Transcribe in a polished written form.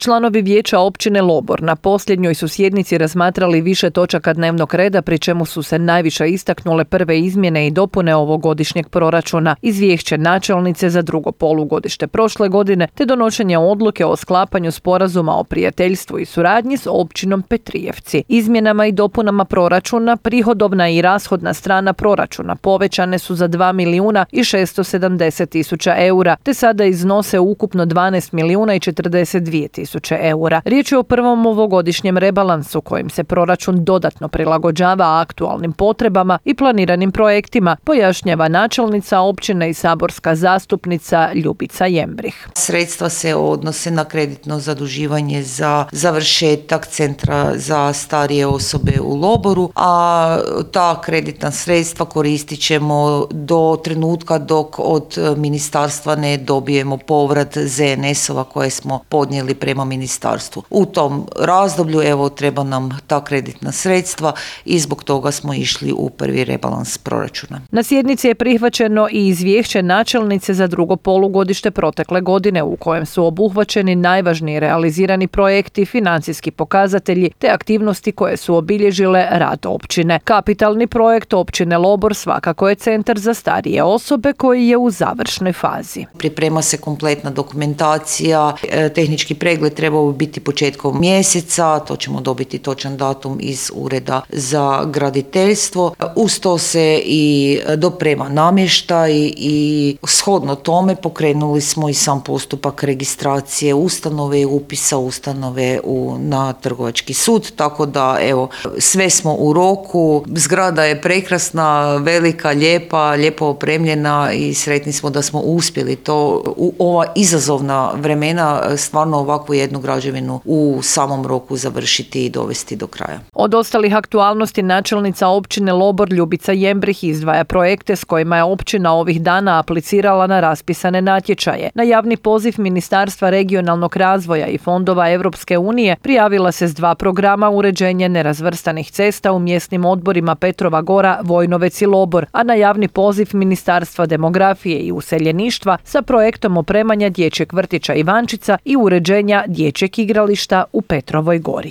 Članovi vijeća općine Lobor na posljednjoj su sjednici razmatrali više točaka dnevnog reda, pri čemu su se najviše istaknule prve izmjene i dopune ovogodišnjeg proračuna, izvješće načelnice za drugo polugodište prošle godine, te donošenje odluke o sklapanju sporazuma o prijateljstvu i suradnji s općinom Petrijevci. Izmjenama i dopunama proračuna prihodovna i rashodna strana proračuna povećane su za 2.670.000 eura, te sada iznose ukupno 12.042.000 eura. Riječ je o prvom ovogodišnjem rebalansu kojim se proračun dodatno prilagođava aktualnim potrebama i planiranim projektima, pojašnjava načelnica općine i saborska zastupnica Ljubica Jembrih. Sredstva se odnose na kreditno zaduživanje za završetak centra za starije osobe u Loboru, a ta kreditna sredstva koristit ćemo do trenutka dok od ministarstva ne dobijemo povrat ZNS-ova koje smo podnijeli prema ministarstvu. U tom razdoblju treba nam ta kreditna sredstva i zbog toga smo išli u prvi rebalans proračuna. Na sjednici je prihvaćeno i izvješće načelnice za drugo polugodište protekle godine u kojem su obuhvaćeni najvažniji realizirani projekti, financijski pokazatelji te aktivnosti koje su obilježile rad općine. Kapitalni projekt općine Lobor svakako je centar za starije osobe koji je u završnoj fazi. Priprema se kompletna dokumentacija, tehnički pregled trebao biti početkom mjeseca, to ćemo dobiti točan datum iz Ureda za graditeljstvo. Uz to se i doprema namještaj i shodno tome pokrenuli smo i sam postupak registracije ustanove i upisa ustanove na Trgovački sud, tako da sve smo u roku. Zgrada je prekrasna, velika, lijepo opremljena i sretni smo da smo uspjeli to u ova izazovna vremena stvarno ovakvu jednu građevinu u samom roku završiti i dovesti do kraja. Od ostalih aktualnosti načelnica općine Lobor Ljubica Jembrih izdvaja projekte s kojima je općina ovih dana aplicirala na raspisane natječaje. Na javni poziv Ministarstva regionalnog razvoja i fondova Europske unije prijavila se s 2 programa uređenje nerazvrstanih cesta u mjesnim odborima Petrova Gora, Vojnovec i Lobor, a na javni poziv Ministarstva demografije i useljeništva sa projektom opremanja dječjeg vrtića Ivančica i uređenja dječjeg igrališta u Petrovoj Gori.